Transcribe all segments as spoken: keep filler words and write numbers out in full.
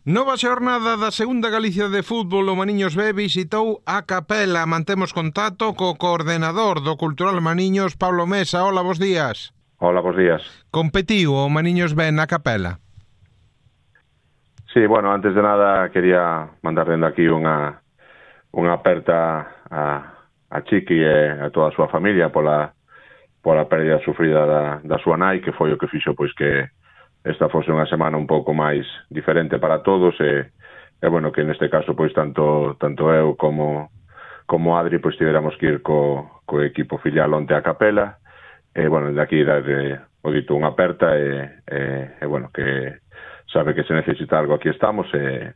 Nova xornada da Segunda Galicia de Fútbol, o Maniños B visitou a Capela. Mantemos contacto co coordenador do Cultural Maniños, Pablo Mesa. Hola, bos días. Hola, bos días. Competiu o Maniños B na Capela? Sí, bueno, antes de nada quería mandar dende aquí unha unha aperta a, a Chiqui e a toda a súa familia pola pola pérdida sufrida da, da súa nai, que foi o que fixo pois que esta fose unha semana un pouco máis diferente para todos e, e bueno, que neste caso pois tanto tanto eu como como Adri pois tiveramos que ir co, co equipo filial onte a Capela e bueno, de aquí darle o dito unha aperta e, e, e bueno, que sabe que se necesita algo, aquí estamos e,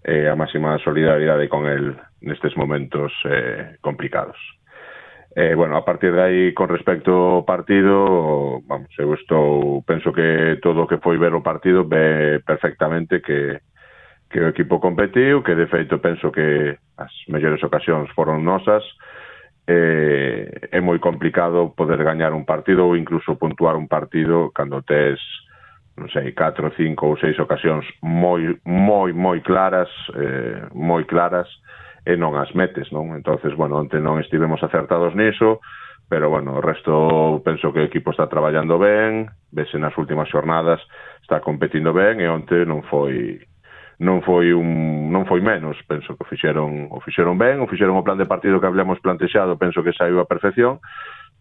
e a máxima solidaridade con el nestes momentos eh, complicados. Eh, bueno, a partir de aí, con respecto ao partido, vamos, eu estou, penso que todo o que foi ver o partido ve perfectamente que, que o equipo competiu, que de feito penso que as mellores ocasións foron nosas, eh, é moi complicado poder gañar un partido ou incluso puntuar un partido cando tes, non sei, catro, cinco ou seis ocasións moi, moi, moi claras, eh, moi claras, e non as metes, non? Entonces, bueno, onte non estivemos acertados niso, pero, bueno, o resto penso que o equipo está traballando ben, vese nas últimas xornadas, está competindo ben, e onte non foi non foi un non foi menos, penso que o fixeron o fixeron ben, o fixeron o plan de partido que hablamos plantexado, penso que saiu a perfección.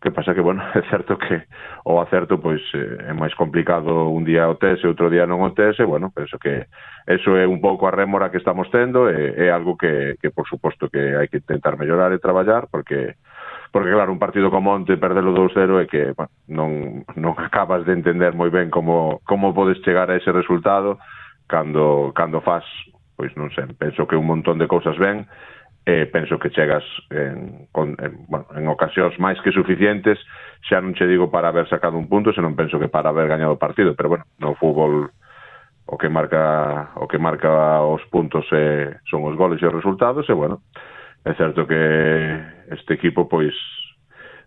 Que pasa que, bueno, é certo que o acerto pois é máis complicado un día o tes e outro día non o tes e, bueno, penso que eso é un pouco a rémora que estamos tendo e é algo que, que por suposto, que hai que intentar mellorar e traballar porque, porque claro, un partido como onte perdelo dous cero é que, bueno, non, non acabas de entender moi ben como, como podes chegar a ese resultado cando, cando faz, pois non sei, penso que un montón de cousas ben e penso que chegas en, con, en, bueno, en ocasións máis que suficientes, xa non che digo para haber sacado un punto, senón penso que para haber gañado o partido, pero bueno, no fútbol o que marca o que marca os puntos eh, son os goles e os resultados, e bueno, é certo que este equipo pois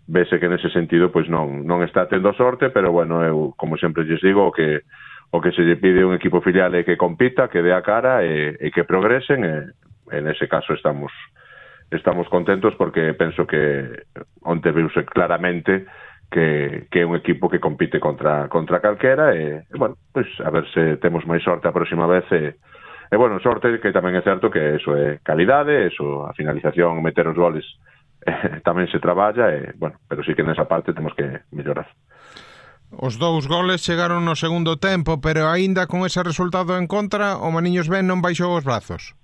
vese que nese sentido pois non non está tendo sorte, pero bueno, eu como sempre lles digo, o que o que se lle pide un equipo filial é que compita, que dé a cara e, e que progresen e en ese caso estamos estamos contentos porque penso que onte viuse claramente que, que é un equipo que compite contra contra calquera e, e bueno, pois a ver se temos máis sorte a próxima vez e, e bueno, sorte que tamén é certo que eso é calidade, eso a finalización, meter os goles eh, tamén se traballa e bueno, pero sí que nesa parte temos que mellorar. Os dous goles chegaron no segundo tempo, pero aínda con ese resultado en contra, o Maniños Ben non baixou os brazos.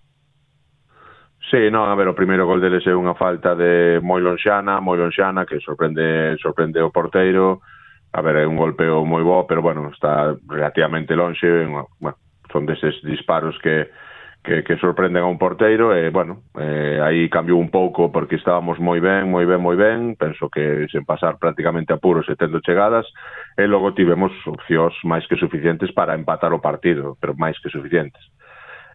Sí, non, a ver, o primeiro gol deles é unha falta de moi lonxana, moi lonxana, que sorprende sorprende o porteiro. A ver, é un golpeo moi bo, pero, bueno, está relativamente lonxe. Bueno, son deses disparos que, que, que sorprenden a un porteiro e, bueno, eh, aí cambiou un pouco porque estábamos moi ben, moi ben, moi ben. Penso que sen pasar prácticamente apuros e tendo chegadas, e logo tivemos opcións máis que suficientes para empatar o partido, pero máis que suficientes.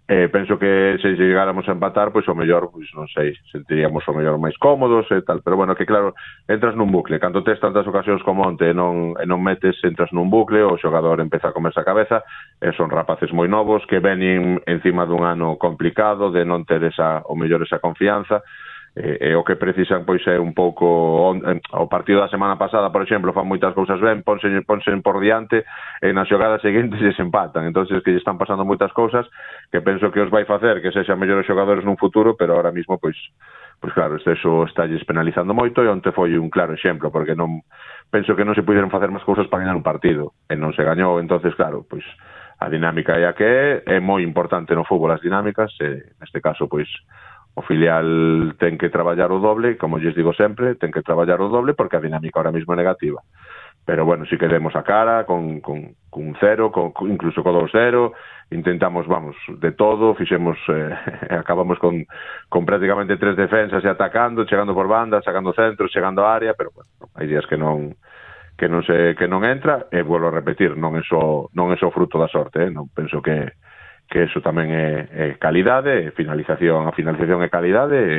Eh, penso que se chegáramos a empatar, pois o mellor, pois non sei, sentiríamos o mellor máis cómodos e tal, pero bueno, que claro, entras nun bucle, cando tes tantas ocasións como onte e non, e non metes, entras nun bucle, o xogador empeza a comerse a cabeza, e son rapaces moi novos que venen encima dun ano complicado, de non ter esa, o mellor esa confianza, e, e o que precisan pois é un pouco on, o partido da semana pasada, por exemplo, fan moitas cousas ben, ponse, ponse por diante e nas xogadas seguintes se empatan, entonces que lle están pasando moitas cousas que penso que os vai facer que sexan mellores xogadores nun futuro, pero ahora mismo pois pois claro, eso está lles penalizando moito e onte foi un claro exemplo, porque non penso que non se puderon facer máis cousas para gañar un partido e non se gañou, entonces claro, pois a dinámica é a que é, é moi importante no fútbol as dinámicas, e neste caso pois o filial ten que traballar o doble, como lles digo sempre, ten que traballar o doble porque a dinámica ahora mismo é negativa. Pero bueno, si queremos a cara, con, con, con cero, con, incluso con dos cero, intentamos, vamos, de todo, fixemos, eh, acabamos con, con prácticamente tres defensas e atacando, chegando por banda, sacando centros, chegando á área, pero bueno, hai días que non que non se que non entra, e vuelvo a repetir, non é só non é só fruto da sorte, eh? Non penso que que eso tamén é, é calidade, finalización, a finalización é calidade, e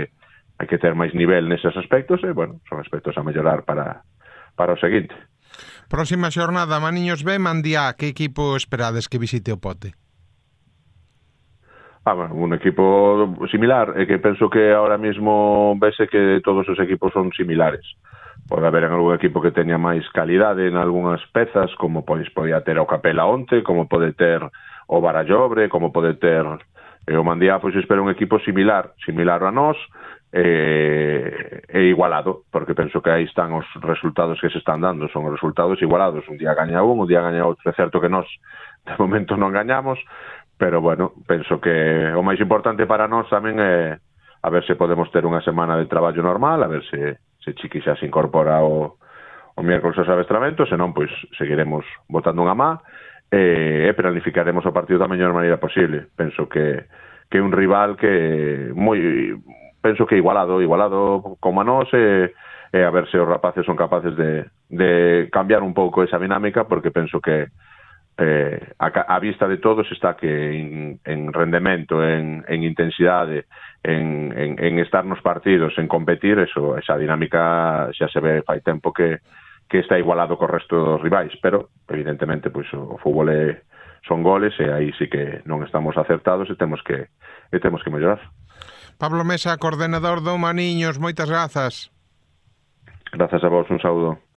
hai que ter máis nivel neses aspectos, e, bueno, son aspectos a mellorar para, para o seguinte. Próxima xornada, Maniños B, Mandiá, que equipo esperades que visite o Pote? Ah, bueno, un equipo similar, é que penso que ahora mismo vese que todos os equipos son similares. Pode haber en algún equipo que teña máis calidade en algunhas pezas, como pois podía ter o Capela onte, como pode ter o Barallobre, como pode ter e o Mandía, pois espero un equipo similar, similar a nós, e, e igualado, porque penso que aí están os resultados que se están dando, son os resultados igualados, un día gaña un, un día gaña outro, é certo que nós de momento non gañamos, pero bueno, penso que o máis importante para nós tamén é a ver se podemos ter unha semana de traballo normal, a ver se, se Chiqui xa se incorpora o, o miércoles aos adestramentos, senón, pois, seguiremos botando unha má e, e planificaremos o partido da mellor maneira posible. Penso que que é un rival que moi penso que igualado, igualado como a nós e, e a ver se os rapaces son capaces de, de cambiar un pouco esa dinámica, porque penso que eh, a, a vista de todos está que en, en rendemento, en, en intensidade, en, en, en estar nos partidos, en competir, eso, esa dinámica xa se ve fai tempo que, que está igualado co resto dos rivais, pero evidentemente pois, o fútbol é, son goles e aí sí que non estamos acertados e temos que, e temos que mellorar. Pablo Mesa, coordenador do Maniños, moitas grazas. Grazas a vos, un saúdo.